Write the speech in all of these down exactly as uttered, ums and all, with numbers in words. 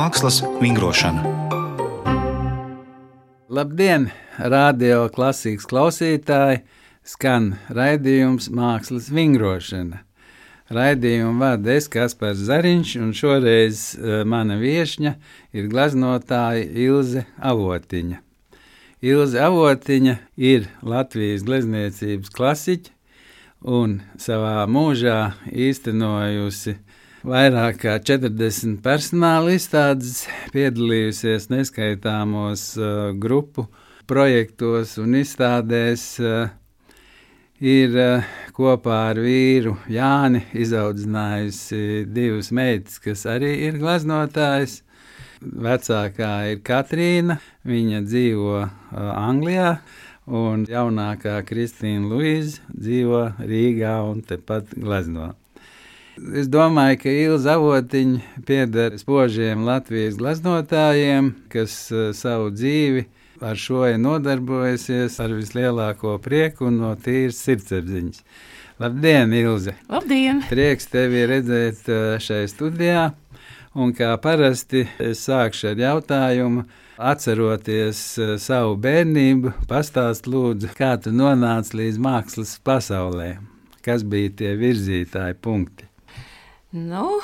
Mākslas vingrošana. Labdien, radio klasikas klausītāji! Skan raidījums Mākslas vingrošana. Raidījumu vada es, Kaspars Zariņš, un šoreiz mana viešņa ir gleznotāja Ilze Avotiņa. Ilze Avotiņa ir Latvijas glezniecības klasiķe un savā mūžā īstenojusi vairāk kā četrdesmit personāla izstādes, piedalījusies neskaitāmos uh, grupu projektos un izstādēs, uh, ir uh, kopā ar vīru Jāni izaudzinājusi divas meitas, kas arī ir gleznotājas. Vecākā ir Katrīna, viņa dzīvo uh, Anglijā, un jaunākā Kristīna Luīze dzīvo Rīgā un tepat glezno. Es domāju, ka Ilze Avotiņa pieder spožiem Latvijas gleznotājiem, kas uh, savu dzīvi ar šo ir nodarbojasies ar vislielāko prieku un no tīras sirdsapziņas. Labdien, Ilze! Labdien! Prieks tevi redzēt uh, šai studijā, un kā parasti es sākšu ar jautājumu, atceroties uh, savu bērnību, pastāst lūdzu, kā tu nonāci līdz mākslas pasaulē, kas bija tie virzītāji punkti. Nu,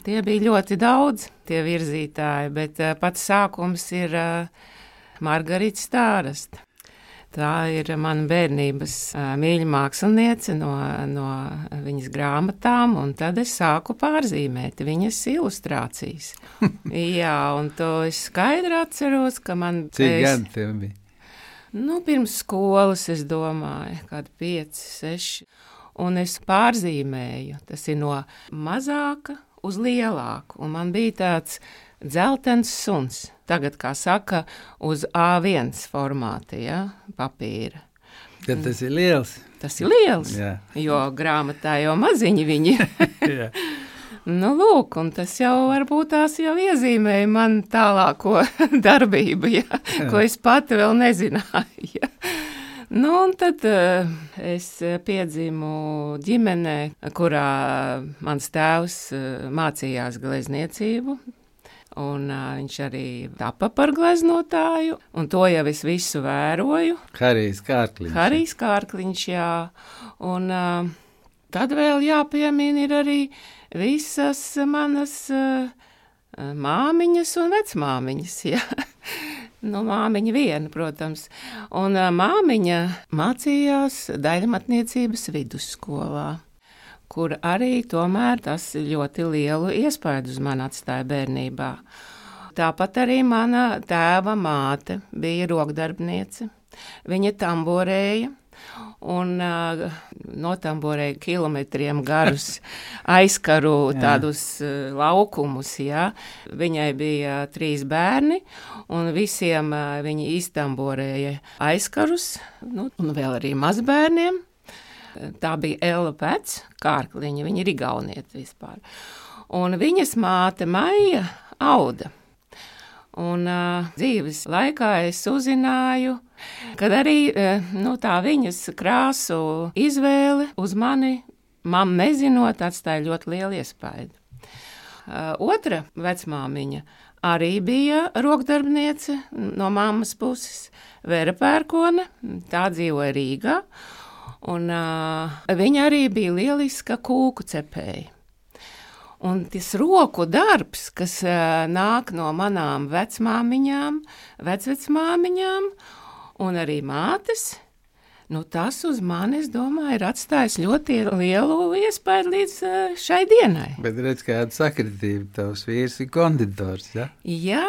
tie bija ļoti daudz, tie virzītāji, bet uh, pats sākums ir uh, Margarita Stārasta. Tā ir mana bērnības uh, mīļa māksliniece no, no viņas grāmatām, un tad es sāku pārzīmēt viņas ilustrācijas. Jā, un to es skaidri atceros, ka man... Cik es, gadi tev bija? Nu, pirms skolas, es domāju, kādi pieci, seši. Un es pārzīmēju, tas ir no mazāka uz lielāku, un man bija tāds dzeltens suns, tagad, kā saka, uz A viens formāta, ja, papīra. Tad tas ir liels? Tas ir liels, Jā. Jo grāmatā jau maziņi viņi. Jā. Nu, lūk, un tas jau varbūt tās jau iezīmēja man tālāko darbību, ja, ko es pati vēl nezināju, ja. Nu, un tad uh, es piedzimu ģimenē, kurā mans tēvs uh, mācījās glezniecību, un uh, viņš arī tapa par gleznotāju, un to jau es visu vēroju. Harijs Kārkliņš. Harijs Kārkliņš, jā. Un uh, tad vēl jāpiemina ir arī visas manas uh, māmiņas un vecmāmiņas, jā. Nu, māmiņa viena, protams. Un uh, māmiņa mācījās daļmatniecības vidusskolā, kur arī tomēr tas ļoti lielu iespaidu uz mani atstāja bērnībā. Tāpat arī mana tēva māte bija rokdarbniece. Viņa tamborēja un uh, notamborēja kilometriem garus aizkaru tādus uh, laukumus, jā. Viņai bija trīs bērni, un visiem uh, viņi iztamborēja aizkarus, nu, un vēl arī mazbērniem. Tā bija Ella Pēc Kārkliņa, viņa ir igaunieta vispār. Un viņas māte Maija auda. Un uh, dzīves laikā es uzzināju, kad arī uh, nu, tā viņas krāsu izvēle uz mani, man nezinot, atstāja ļoti lielu iespaidu. Uh, otra vecmāmiņa arī bija rokdarbniece no mammas puses, Vera Pērkone, tā dzīvoja Rīgā, un uh, viņa arī bija lieliska kūku cepēja. Un tas roku darbs, kas uh, nāk no manām vecmāmiņām, vecvecmāmiņām un arī mātes, nu tas uz mani, es domāju, ir atstājis ļoti lielu iespēju līdz uh, šai dienai. Bet redz, kāda sakritība, tavs vīrs ir konditors, ja? Jā.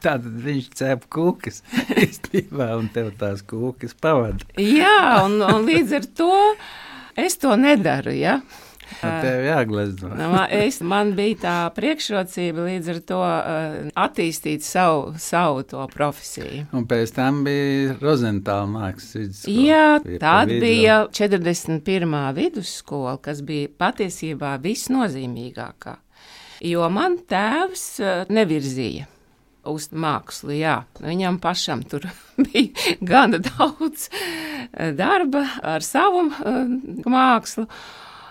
Tātad viņš cep kūkas īstenībā un tev tās kūkas pavada. Jā, un, un līdz ar to es to nedaru, ja? Un tev jāglezno. es, man bija tā priekšrocība līdz ar to uh, attīstīt savu, savu to profesiju. Un pēc tam bija Rozentāla mākslas vidusskola. Jā, tad bija četrdesmit pirmā vidusskola, kas bija patiesībā visnozīmīgākā. Jo man tēvs uh, nevirzīja uz mākslu, jā. Viņam pašam tur bija gana daudz darba ar savu uh, mākslu.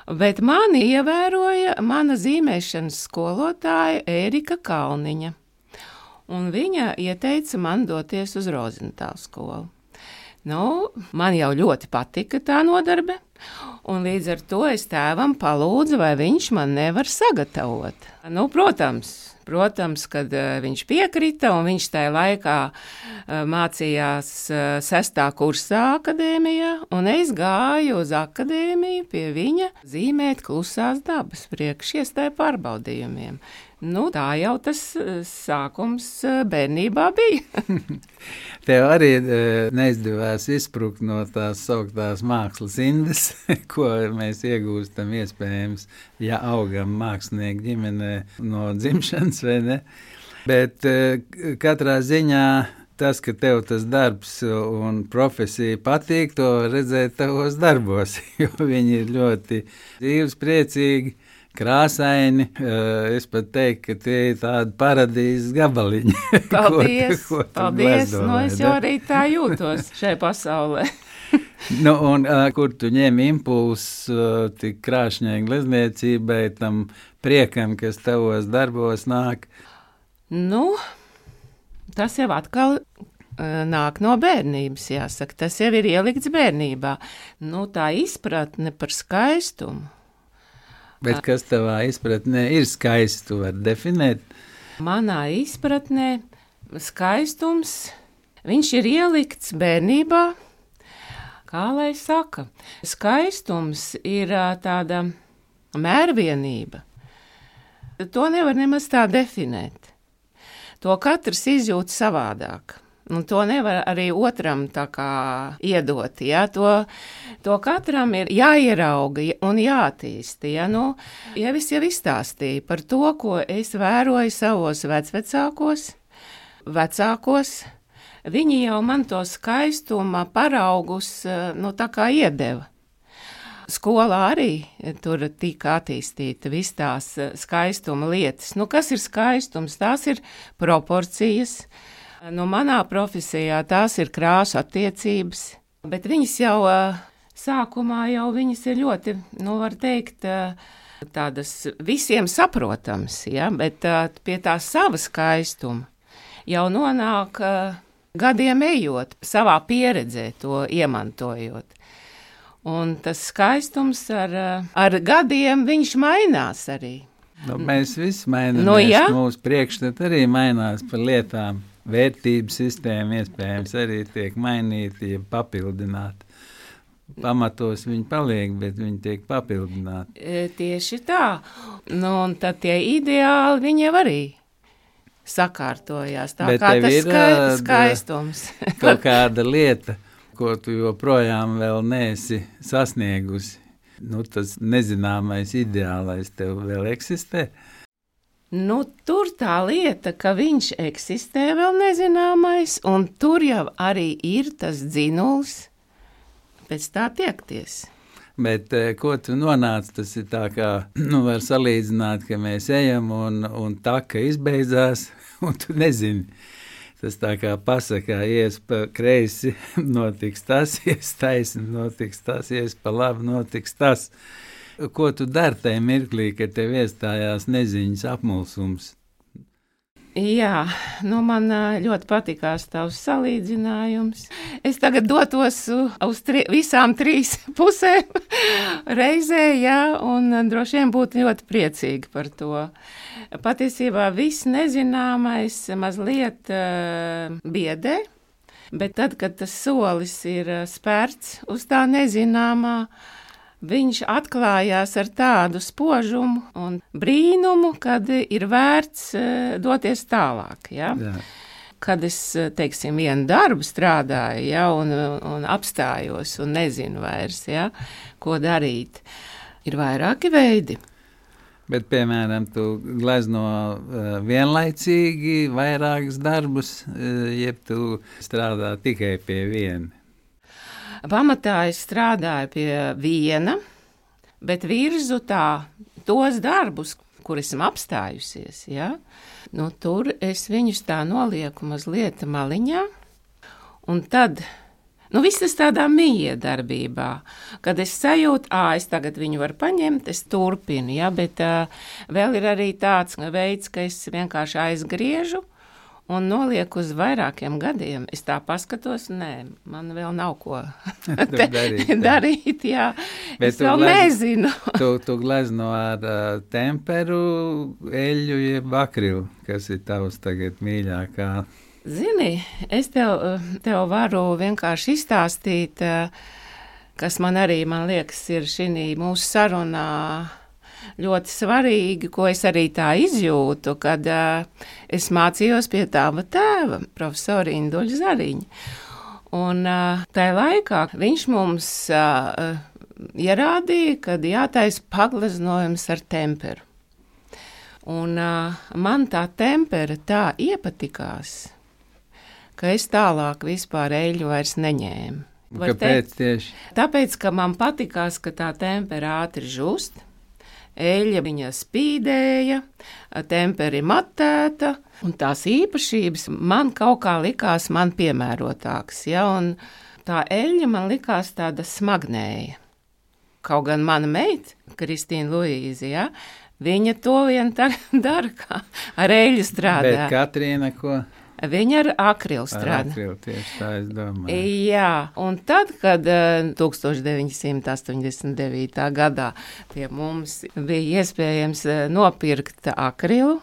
Bet mani ievēroja mana zīmēšanas skolotāja Ērika Kalniņa. un viņa ieteica man doties uz Rozentālu skolu. Nu, man jau ļoti patika tā nodarbe, un līdz ar to es tēvam palūdzu, vai viņš man nevar sagatavot. Nu, protams, protams, kad uh, viņš piekrita, un viņš tajā laikā uh, mācījās uh, sestā kursā akadēmijā, un es gāju uz akadēmiju pie viņa zīmēt klusās dabas priekš iestāju pārbaudījumiem. Nu, tā jau tas sākums bērnībā bija. Tev arī neizdevās izsprukt no tās sauktās mākslas indes, ko mēs iegūstam iespējams, ja augam mākslinieku ģimenē no dzimšanas, vai ne? Bet katrā ziņā tas, ka tev tas darbs un profesija patīk, to redzēt tavos darbos, jo viņi ir ļoti dzīves, priecīgi, krāsaini. Es pat teiktu, ka tie ir tādi paradīzes gabaliņi. Paldies, ko tu, ko tu paldies. Glazdo, nu, es jau arī tā jūtos šai pasaulē. Nu, un uh, kur tu ņem impulsu uh, tik krāšņai glezniecībai, tam priekam, kas tavos darbos nāk? Nu, tas jau atkal uh, nāk no bērnības, jāsaka. Tas jau ir ielikts bērnībā. Nu, tā izpratne par skaistumu. Bet kas tavā izpratnē ir skaists, tu vari definēt? Manā izpratnē skaistums, viņš ir ielikts bērnībā, kā lai saka. Skaistums ir tāda mērvienība. To nevar nemaz tā definēt. To katrs izjūt savādāk. Un to nevar arī otram tā kā iedot, ja? to, to katram ir jāierauga un jātīsta. Ja? Nu, ja es jau izstāstīju par to, ko es vēroju savos vecvecākos, vecākos, viņi jau man to skaistuma paraugus nu, tā kā iedeva. Skolā arī tur tika attīstīta viss tās skaistuma lietas. Nu, kas ir skaistums? Tās ir proporcijas. Nu, manā profesijā tās ir krāsu attiecības, bet viņas jau sākumā jau viņas ir ļoti, nu, var teikt, tādas visiem saprotams, ja? Bet pie tā sava skaistuma jau nonāk gadiem ejot, savā pieredzē to iemantojot. Un tas skaistums ar, ar gadiem viņš mainās arī. Nu, mēs visi mainamies, nu, ja? Mūsu priekšstat arī mainās par lietām. Vērtības sistēma iespējams arī tiek mainīta, ja papildināta. Pamatos viņi paliek, bet viņi tiek papildināti. E, tieši tā. Nu, un tad tie ideāli viņi jau arī sakārtojās. Tā bet kā tas ir, skai, skaistums. Kaut kāda lieta, ko tu joprojām vēl neesi sasniegusi. Nu, tas nezināmais ideālais tev vēl eksistē. Nu, tur tā lieta, ka viņš eksistē vēl nezināmais, un tur jau arī ir tas dzinuls pēc tā tiekties. Bet ko tu nonāc, tas ir tā kā, nu, var salīdzināt, ka mēs ejam un, un taka izbeidzās, un tu nezini. Tas tā kā pasakā, ies pa kreisi, notiks tas, ies taisni, notiks tas, ies pa labi, notiks tas. Ko tu dari tajā mirklī, kad tev iestājās neziņas apmulsums? Jā, nu man ļoti patikās tavs salīdzinājums. Es tagad dotos uz tri, visām trīs pusēm reizē, jā, un droši vien būtu ļoti priecīgi par to. Patiesībā viss nezināmais mazliet uh, biedē, bet tad, kad tas solis ir spērts uz tā nezināmā, viņš atklājās ar tādu spožumu un brīnumu, kad ir vērts uh, doties tālāk. Ja? Jā. Kad es, teiksim, vienu darbu strādāju, ja, un, un apstājos un nezinu vairs, ja, ko darīt, ir vairāki veidi. Bet, piemēram, tu glezno uh, vienlaicīgi vairākus darbus, uh, jeb tu strādā tikai pie viena? Pamatā es strādāju pie viena, bet virzu tā tos darbus, kur esmu apstājusies, ja? Nu, tur es viņus tā nolieku mazliet maliņā, un tad, nu, viss tas tādā miedarbībā, kad es sajūtu, ā, es tagad viņu varu paņemt, es turpinu, ja? Bet uh, vēl ir arī tāds veids, ka es vienkārši aizgriežu, un noliek uz vairākiem gadiem. Es tā paskatos, nē, man vēl nav ko darīt, darīt, jā. Bet es vēl glez... nezinu. tu, tu glezno ar uh, temperu, eļļu, jeb akrilu, kas ir tavs tagad mīļākā. Zini, es tev, tev varu vienkārši izstāstīt, kas man arī, man liekas, ir šī mūsu sarunā ļoti svarīgi, ko es arī tā izjūtu, kad uh, es mācījos pie tava tēva, profesora Induļa Zariņa. Un uh, tajā laikā viņš mums uh, ierādīja, kad jātaisa pagleznojums ar temperu. Un uh, man tā tempera tā iepatikās, ka es tālāk vispār eļļu vairs neņēmu. Var Kāpēc teikt, tieši? Tāpēc, ka man patikās, ka tā tempera ātri žust, eļļa viņa spīdēja, temperi matēta, un tās īpašības man kaut kā likās man piemērotāks, ja, un tā eļļa man likās tāda smagnēja. Kaut gan mana meita, Kristīna Luīze, ja, viņa to vien dara, kā ar eļļu strādā. Bet Katrīna ko? Viņa ar akrilu strādā. Ar akrilu, tieši tā es domāju. Jā, un tad, kad uh, tūkstoš deviņi simti astoņdesmit devītā gadā pie mums bija iespējams uh, nopirkt akrilu,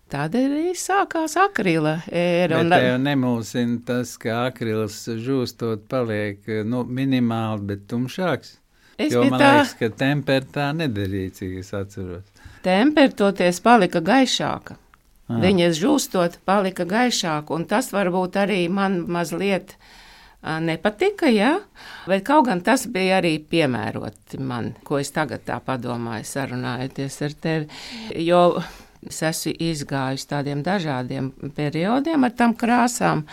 tad arī sākās akrila ēra. Bet tev nemulsina tas, ka akrils žūstot paliek nu, minimāli, bet tumšāks? Es jo man tā... liekas, ka tempera tā nedarīja, cik es atceros. Tempera toties palika gaišāka. Ah. Viņas žūstot palika gaišāk, un tas varbūt arī man mazliet a, nepatika, ja? Bet kaut gan tas bija arī piemēroti man, ko es tagad tā padomāju, sarunājoties ar tevi, jo es esmu izgājusi tādiem dažādiem periodiem ar tam krāsām,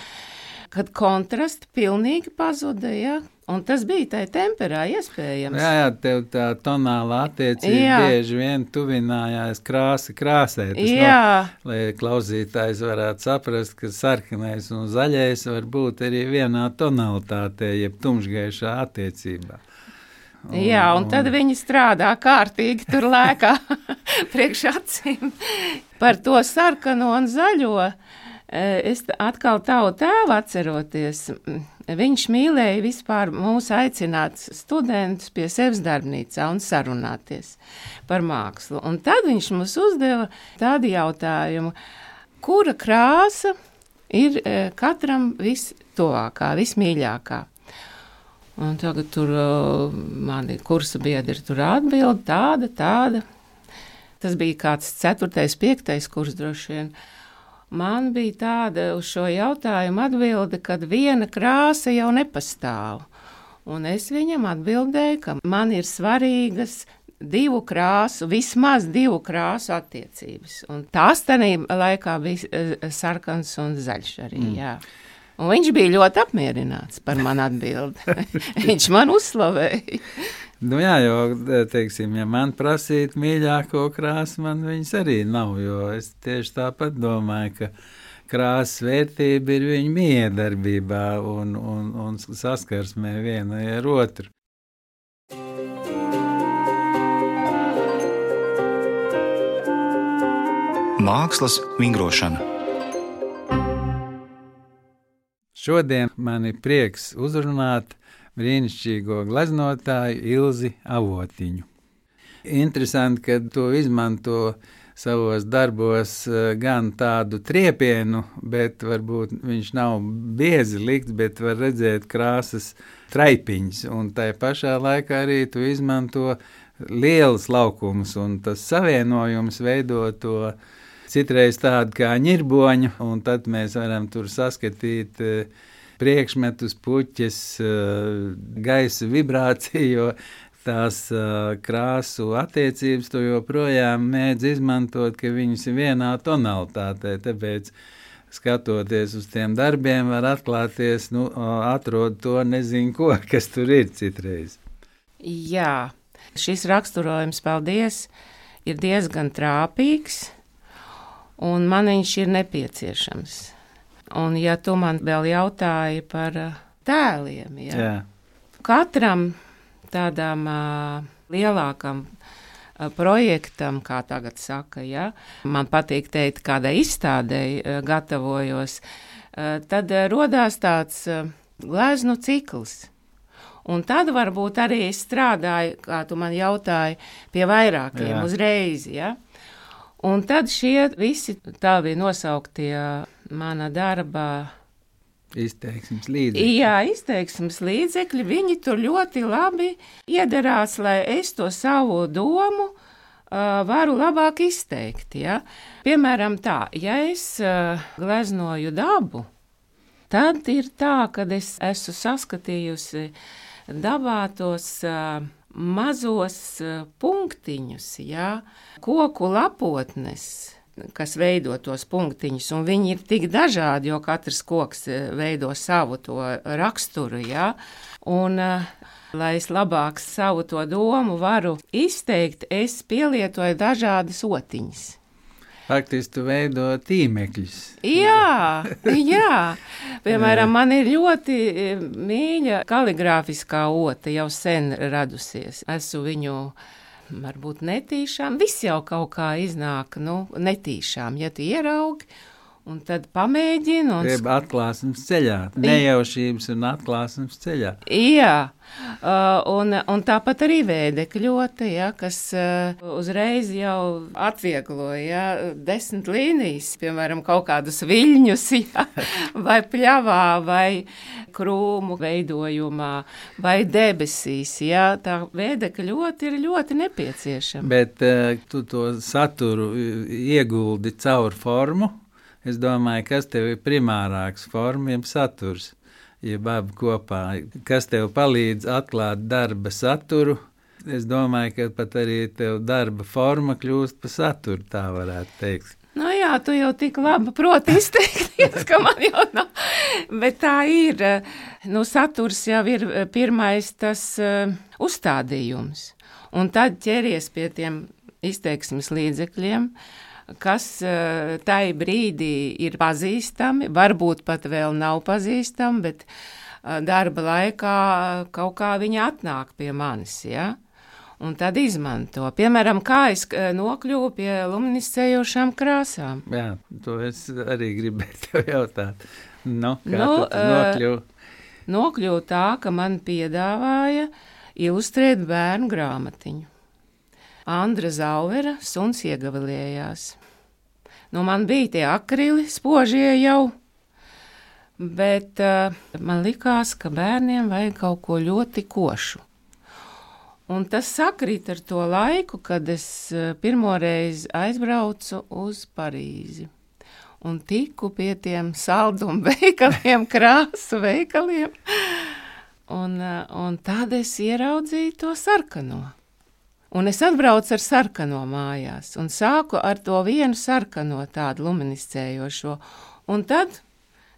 kad kontrasts pilnīgi pazuda, ja? Un tas bija tai temperā iespējams. Jā, jā, tev tā tonāla attiecība jā. Bieži vien tuvinājās krāsa krāsē. Tas jā. Nav, lai klausītājs varētu saprast, ka sarkanais un zaļais var būt arī vienā tonalitātē, jeb tumšgaišā attiecībā. Un, jā, un, un tad viņi strādā kārtīgi tur lēkā priekš acīm par to sarkano un zaļo. Es atkal tavu tēvu atceroties, viņš mīlēja vispār mūs aicināt studentus pie sevis darbnīcā un sarunāties par mākslu. Un tad viņš mums uzdeva tādu jautājumu, kura krāsa ir katram vistuvākā, vismīļākā. Un tagad tur mani kursa biedri tur atbild tāda, tāda. Tas bija kāds ceturtais, piektais kurs droši vien. Man bija tāda uz šo jautājumu atbilde, kad viena krāsa jau nepastāv. Un es viņam atbildēju, ka man ir svarīgas divu krāsu, vismaz divu krāsu attiecības. Un tās tādā laikā bija sarkans un zaļš arī, mm. jā. Un viņš bija ļoti apmierināts par manu atbildi. Viņš man uzslavēja. Nu jā, jo, teiksim, ja man prasīt mīļāko krāsu, man viņas arī nav, jo es tieši tāpat domāju, ka krāsas vērtība ir viņa miedarbībā un, un, un saskarsmē vienai ar otru. Mākslas vingrošana. Šodien man ir prieks uzrunāt brīnišķīgo gleznotāju Ilzi Avotiņu. Interesanti, ka to izmanto savos darbos gan tādu triepienu, bet varbūt viņš nav biezi likts, bet var redzēt krāsas traipiņas, un tai pašā laikā arī tu izmanto lielas laukumus, un tas savienojums veido to citreiz tādu kā ņirboņu, un tad mēs varam tur saskatīt priekšmetus, puķes, gaisa vibrāciju, jo tās krāsu attiecības tu joprojām mēdz izmantot, ka viņas ir vienā tonalitātē, tāpēc skatoties uz tiem darbiem var atklāties, nu, atrod to nezinu ko, kas tur ir citreiz. Jā, šis raksturojums, paldies, ir diezgan trāpīgs, un man viņš ir nepieciešams. Un ja tu man vēl jautāji par tēliem, ja, jā. Katram tādām uh, lielākam projektam, kā tagad saka, ja, man patīk teikt, kādai izstādei gatavojos, tad rodās tāds gleznu cikls. Un tad varbūt arī es strādāju, kā tu man jautāji, pie vairākiem Jā. uzreiz, ja. Un tad šie visi tavi nosauktie mana darba izteiksmes līdzekļi. Jā, izteiksmes līdzekļi, viņi tur ļoti labi iederās, lai es to savu domu uh, varu labāk izteikt. Ja? Piemēram tā, ja es uh, gleznoju dabu, tad ir tā, kad es esmu saskatījusi dabā tos uh, mazos uh, punktiņus, ja? Koku lapotnes, kas veido tos punktiņus, un viņi ir tik dažādi, jo katrs koks veido savu to raksturu, ja? Un, lai es labāk savu to domu varu izteikt, es pielietoju dažādas otiņas. Faktiski tu veido tīmekļus. Jā, jā. Piemēram, man ir ļoti mīļa kaligrāfiskā ota, jau sen radusies. Esmu viņu varbūt netīšām, viss jau kaut kā iznāk, nu, netīšām, ja tu ieraugi, un tad pamēģini. Un... Grieb atklāsmes ceļā, nejaušības un atklāsmes ceļā. Jā, uh, un, un tāpat arī vēdekļota, ja, kas uh, uzreiz jau atviegloja, ja, desmit līnijas, piemēram, kaut kādus viļņus, ja, vai pļavā, vai krūmu veidojumā, vai debesīs, ja, tā vēdekļota ir ļoti nepieciešama. Bet uh, tu to saturu ieguldi caur formu. Es domāju, kas tev ir primārāks forma, jeb saturs, jeb abi kopā. Kas tev palīdz atklāt darba saturu, es domāju, ka pat arī tev darba forma kļūst pa saturu, tā varētu teikt. Nu jā, tu jau tik labi proti izteikties, ka man jau nav. Bet tā ir, nu saturs jau ir pirmais tas uh, uzstādījums. Un tad ķeries pie tiem izteiksmes līdzekļiem, kas uh, tai brīdī ir pazīstami, varbūt pat vēl nav pazīstami, bet uh, darba laikā kaut kā viņi atnāk pie manis, ja? Un tad izmanto. Piemēram, kā es uh, nokļuvu pie luminiscējošām krāsām. Jā, to es arī gribēju tev jautāt. Nu, kā nu, tu nokļuvu? Uh, nokļuvu tā, ka man piedāvāja ilustrēt bērnu grāmatiņu. Andra Zauvera Suns iegavilējās. Nu, man bija tie akrili spožie jau, bet uh, man likās, ka bērniem vajag kaut ko ļoti košu. Un tas sakrīt ar to laiku, kad es uh, pirmoreiz aizbraucu uz Parīzi un tiku pie tiem saldumu veikaliem, krāsu veikaliem, un, uh, un tad es ieraudzīju to sarkano. Un es atbraucu ar sarkano mājās un sāku ar to vienu sarkano tādu luminiscējošo. Un tad,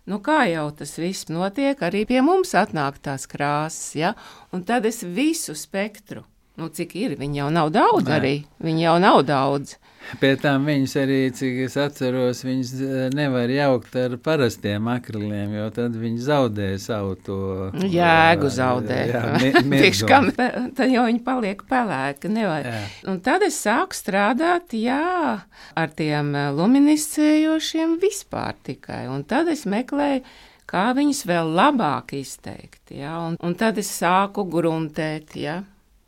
nu kā jau tas viss notiek, arī pie mums atnāk tās krāsas, ja? Un tad es visu spektru, nu cik ir, viņi jau nav daudz Nē. arī, viņi jau nav daudz. Pie tām viņas arī, cik es atceros, viņas nevar jaukt ar parastiem akriliem, jo tad viņi zaudē savu to... Jēgu zaudē. Jā, mi- Tikškam, tad jau viņi paliek pelēki, nevar. Jā. Un tad es sāku strādāt, jā, ar tiem luminiscējošiem vispār tikai. Un tad es meklēju, kā viņus vēl labāk izteikt, jā. Un, un tad es sāku gruntēt, jā.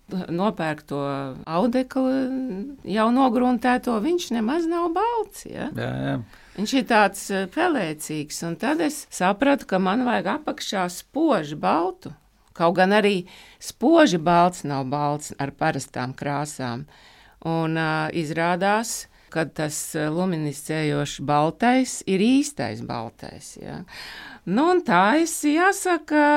Nopērk to audeklu, jau nogruntēto, viņš nemaz nav balts, ja? Jā, jā. Viņš ir tāds pelēcīgs, un tad es sapratu, ka man vajag apakšā spoži baltu, kaut gan arī spoži balts nav balts ar parastām krāsām, un uh, izrādās, ka tas luminiscējošs baltais ir īstais baltais, ja? Nu, un tā es, jāsaka,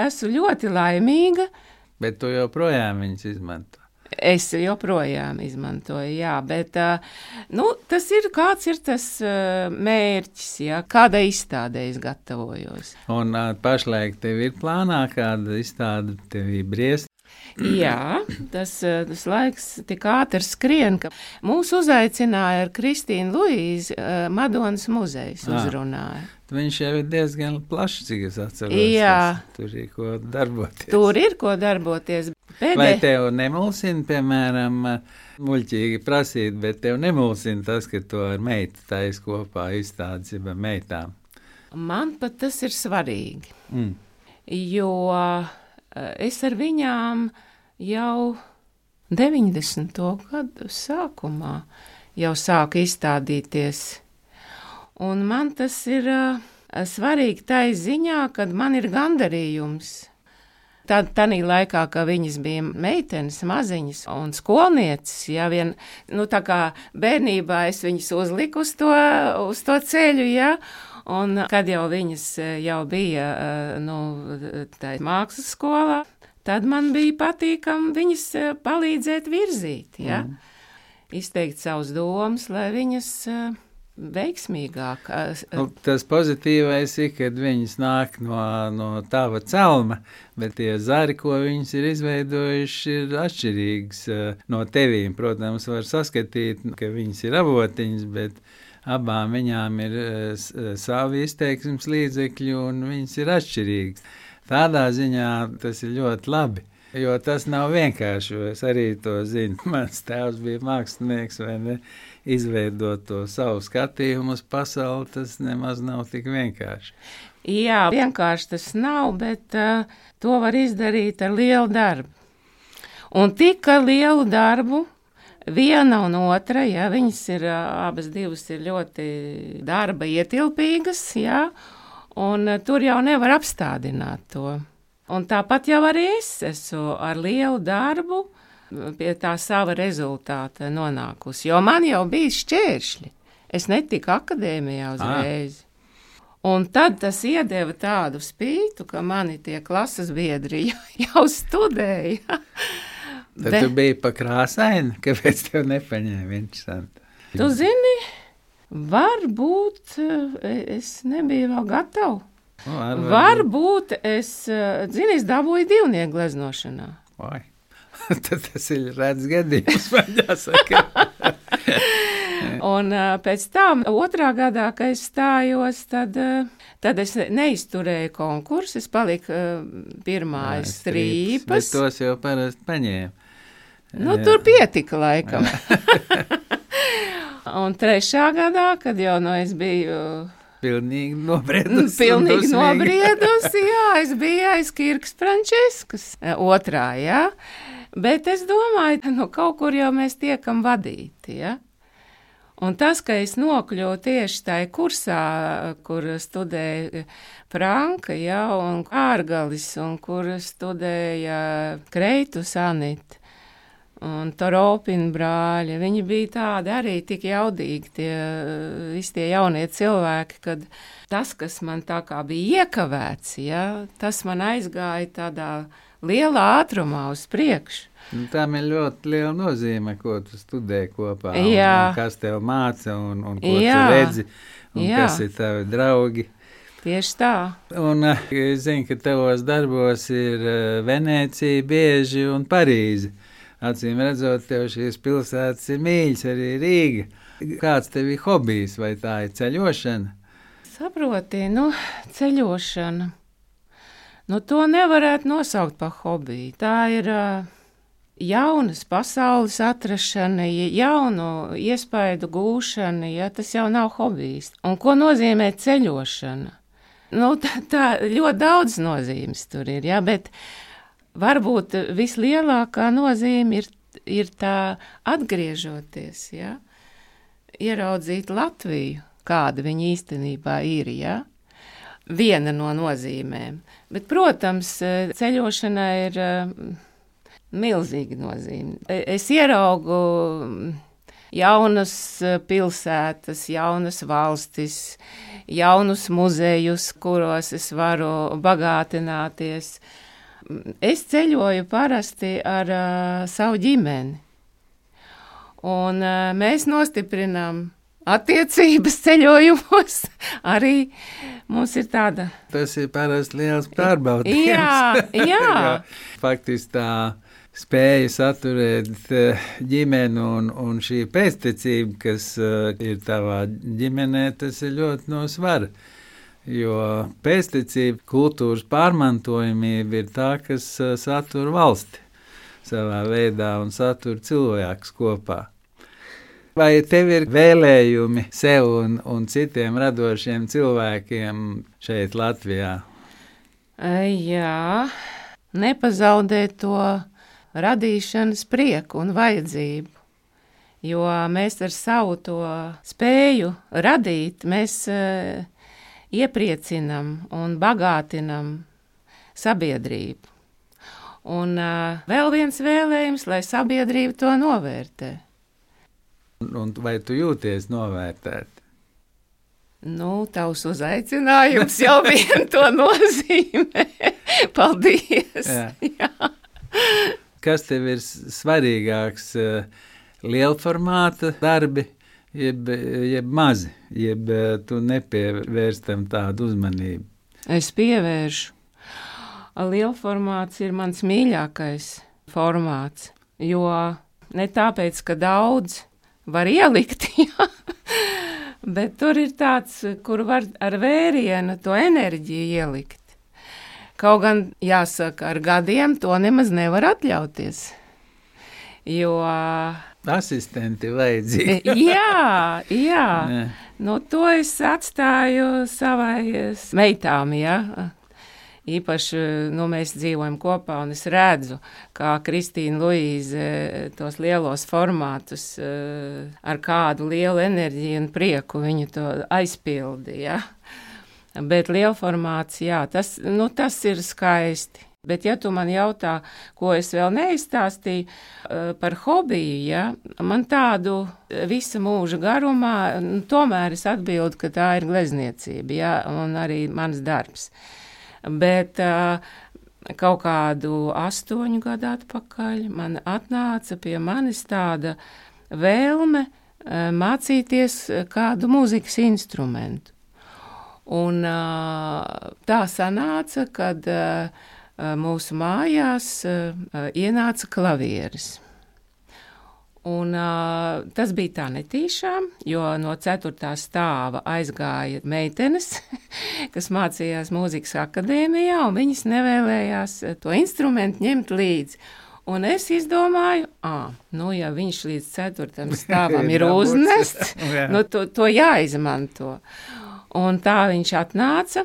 esmu ļoti laimīga. Bet tu joprojām viņas izmanto. Es joprojām izmantoju, jā, bet uh, nu, tas ir, kāds ir tas uh, mērķis, jā, kāda izstādē es gatavojos. Un uh, pašlaik tev ir plānā kāda izstāde tev briest? Jā, tas, tas laiks tik ātri skrien, ka mūs uzaicināja ar Kristīnu Luīzi uh, Madonas muzejs uzrunāja. Viņš jau ir diezgan plašs, cik es atceros. Jā. Tur ir ko darboties. Tur ir ko darboties. Pēdē... Vai tev nemulsina, piemēram, muļķīgi prasīt, bet tev nemulsina tas, ka to ar meitu taisa kopā izstādes jau ar meitām? Man pat tas ir svarīgi, Mm. jo es ar viņām jau deviņdesmito gadu sākumā jau sāku izstādīties. Un man tas ir uh, svarīgi tai ziņā, kad man ir gandarījums. Tad, tanī laikā, kad viņas bija meitenes, maziņas un skolnieces, ja vien, nu tā kā bērnībā es viņas uzliku uz to, uz to ceļu, ja, un kad jau viņas jau bija, nu, tā mākslas skolā, tad man bija patīkam viņas palīdzēt virzīt, ja, mm. izteikt savus domas, lai viņas veiksmīgāk. Nu, tas pozitīvais ir, kad viņas nāk no, no tava celma, bet tie zari, ko viņas ir izveidojuši, ir atšķirīgs no tevīm. Protams, var saskatīt, ka viņas ir avotiņas, bet abām viņām ir savi izteiksmes līdzekļi un viņas ir atšķirīgas. Tādā ziņā tas ir ļoti labi, jo tas nav vienkārši, jo es arī to zinu. Mans tēvs bija mākslinieks, vai ne? Izveidot to savu skatījumu uz pasauli, tas nemaz nav tik vienkārši. Jā, vienkārši tas nav, bet uh, to var izdarīt ar lielu darbu. Un tik ar lielu darbu, viena un otra, ja, viņas ir, uh, abas divas ir ļoti darba ietilpīgas, ja, un uh, tur jau nevar apstādināt to. Un tāpat jau arī es esmu ar lielu darbu, pie tā sava rezultāta nonākusi, jo man jau bija šķēršļi. Es netiku akadēmijā uzreiz. Ah. Un tad tas iedeva tādu spītu, ka mani tie klases biedri jau studēja. Tad Bet... tu biji pa krāsaini, kāpēc tev nepaņēma interesanti? Tu zini, varbūt es nebiju vēl gatava. O, ar, varbūt es, zini, es dabūju divnieku gleznošanā. Vai. Tad tas ir redz gadījums, man jāsaka. Un uh, pēc tam, otrā gadā, kad es stājos, tad, uh, tad es neizturēju konkursu, es paliku uh, pirmā aiz strīpas. Bet tos jau parasti paņēma. Nu, tur pietika laikam. Un trešā gadā, kad jau no es biju... Pilnīgi nobriedusi. Pilnīgi nobriedusi, jā, es biju aiz Kirkas Frančiskas, otrā, jā. Bet es domāju, nu kaut kur jau mēs tiekam vadīti, ja? Un tas, ka es nokļuvu tieši tajā kursā, kur studēja Franka, ja, un Ārgalis, un kur studēja Kreitus Anita, un Toropina brāļi, viņi bija tādi arī tik jaudīgi, tie, visi tie jaunie cilvēki, kad tas, kas man tā kā bija iekavēts, ja, tas man aizgāja tādā lielā ātrumā uz priekšu. Nu, tām ir ļoti liela nozīme, ko tu studē kopā, un, un kas tev māca, un, un ko Jā. tu redzi, un Jā. kas ir tavi draugi. Tieši tā. Un es zinu, ka tavos darbos ir Venēcija, bieži un Parīze. Acīm redzot, tev šīs pilsētas ir mīļas, arī Rīga. Kāds tev ir hobijs, vai tā ir ceļošana? Saproti, nu, ceļošana. Nu, to nevarētu nosaukt par hobiju. Tā ir uh, jaunas pasaules atrašana, jaunu iespaidu gūšana, ja tas jau nav hobijs. Un ko nozīmē ceļošana? Nu, tā, tā ļoti daudz nozīmes tur ir, ja, bet varbūt vislielākā nozīme ir, ir tā atgriežoties, ja, ieraudzīt Latviju, kāda viņa īstenībā ir, ja, viena no nozīmēm. Bet, protams, ceļošana ir milzīga nozīme. Es ieraugu jaunas pilsētas, jaunas valstis, jaunus muzejus, kuros es varu bagātināties. Es ceļoju parasti ar uh, savu ģimeni, un uh, mēs nostiprinām attiecības ceļojumos. Arī mums ir tāda. Tas ir parasti liels pārbaudījums. Jā, jā. Faktiski tā spēja saturēt ģimeni un, un šī pēctecība, kas uh, ir tavā ģimenē, tas ir ļoti no svara. Jo pēctecība, kultūras pārmantojamība ir tā, kas uh, satur valsti. savā veidā un satur cilvēkus kopā. Vai tev ir vēlējumi sev un, un citiem radošiem cilvēkiem šeit Latvijā? Jā, nepazaudēt to radīšanas prieku un vajadzību, jo mēs ar savu to spēju radīt, mēs uh, iepriecinam un bagātinam sabiedrību. Un uh, vēl viens vēlējums, lai sabiedrība to novērtē. Un vai tu jūties novērtēt? Nu, tavs uzaicinājums jau vien to nozīmē. Paldies! Jā. Jā. Kas tev ir svarīgāks, lielformāta darbi, jeb, jeb mazi, jeb tu nepievērstam tādu uzmanību? Es pievēršu. Lielformāts ir mans mīļākais formāts, jo ne tāpēc, ka daudz var ielikt, jā, bet tur ir tāds, kur var ar vērienu to enerģiju ielikt. Kaut gan, jāsaka, ar gadiem to nemaz nevar atļauties, jo... Asistenti vajadzīgi. jā, jā, jā. Nu to es atstāju savai meitām, jā. Īpaši, nu, mēs dzīvojam kopā, un es redzu, kā Kristīna Luīze tos lielos formātus ar kādu lielu enerģiju un prieku viņu to aizpildi, ja? Bet lielformāts, jā, tas, nu, tas ir skaisti. Bet, ja tu man jautā, ko es vēl neizstāstīju par hobiju, ja, man tādu visa mūža garumā, nu, tomēr es atbildu, ka tā ir glezniecība, ja, un arī mans darbs. Bet uh, kaut kādu astoņu gadu atpakaļ man atnāca pie manis tāda vēlme uh, mācīties kādu mūzikas instrumentu. Un uh, tā sanāca, kad uh, mūsu mājās uh, ienāca klavieris. Un uh, tas bija tā netīšām, jo no ceturtā stāva aizgāja meitenes, kas mācījās mūzikas akadēmijā, un viņas nevēlējās to instrumentu ņemt līdzi. Un es izdomāju, ā, nu, ja viņš līdz ceturtam stāvam ir uznests, nu, to, to jāizmanto. Un tā viņš atnāca,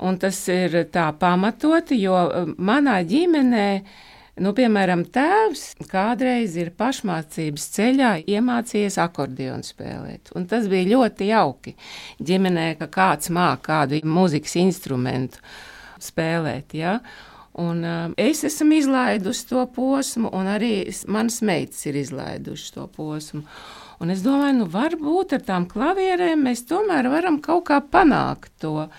un tas ir tā pamatoti, jo manā ģimenē, nu, piemēram, tēvs kādreiz ir pašmācības ceļā iemācījies akordionu spēlēt, un tas bija ļoti jauki ģimenē, ka kāds māk kādu mūzikas instrumentu spēlēt, ja? Un uh, es esmu izlaidusi to posmu, un arī manas meitas ir izlaiduši to posmu. Un es domāju, nu, varbūt ar tām klavierēm mēs tomēr varam kaut kā panākt to,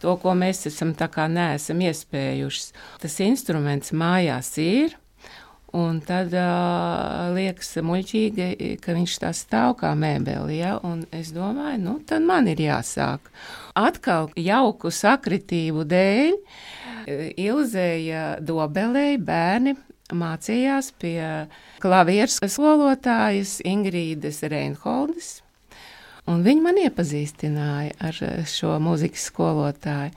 to, ko mēs esam tā kā neesam iespējušas. Tas instruments mājās ir, un tad uh, liekas muļķīgi, ka viņš tā stāv kā mēbeli, ja? Un es domāju, nu, tad man ir jāsāk. Atkal jauku sakritību dēļ Ilzēja Dobelei bērni mācījās pie klavieres skolotājas Ingrīdes Reinholdes, un viņi man iepazīstināja ar šo mūzikas skolotāju.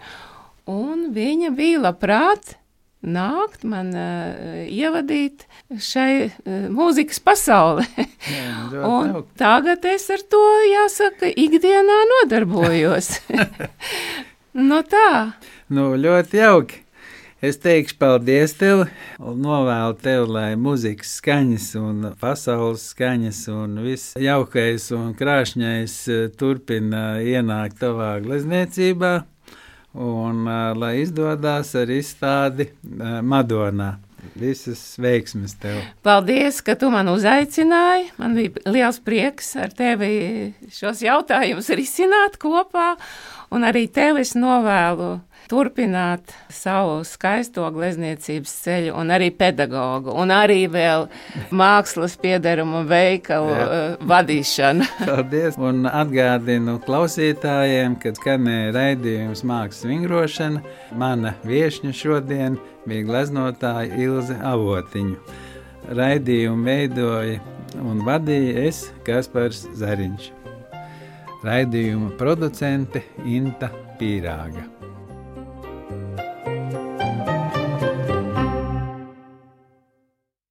Un viņa bija labprāt nākt man uh, ievadīt šai uh, mūzikas pasaulē. Jā, un tagad es ar to, jāsaka, ikdienā nodarbojos. Nu tā. Nu, ļoti jauki. Es teikšu paldies tev un novēlu tev, lai mūzikas skaņas un pasaules skaņas un viss jaukais un krāšņais turpina ienākt tavā glezniecībā un lai izdodās ar izstādi Madonā. Visas veiksmes tev. Paldies, ka tu man uzaicināji. Man bija liels prieks ar tevi šos jautājumus risināt kopā, un arī tev es novēlu turpināt savu skaisto glezniecības ceļu, un arī pedagogu, un arī vēl mākslas piederumu veikalu uh, vadīšanu. Paldies, un atgādinu klausītājiem, kad skanēja raidījums Mākslas vingrošana. Mana viešņa šodien bija gleznotāja Ilze Avotiņu. Raidījumu veidoja un vadīja es, Kaspars Zariņš. Raidījuma producente Inta Pīrāga.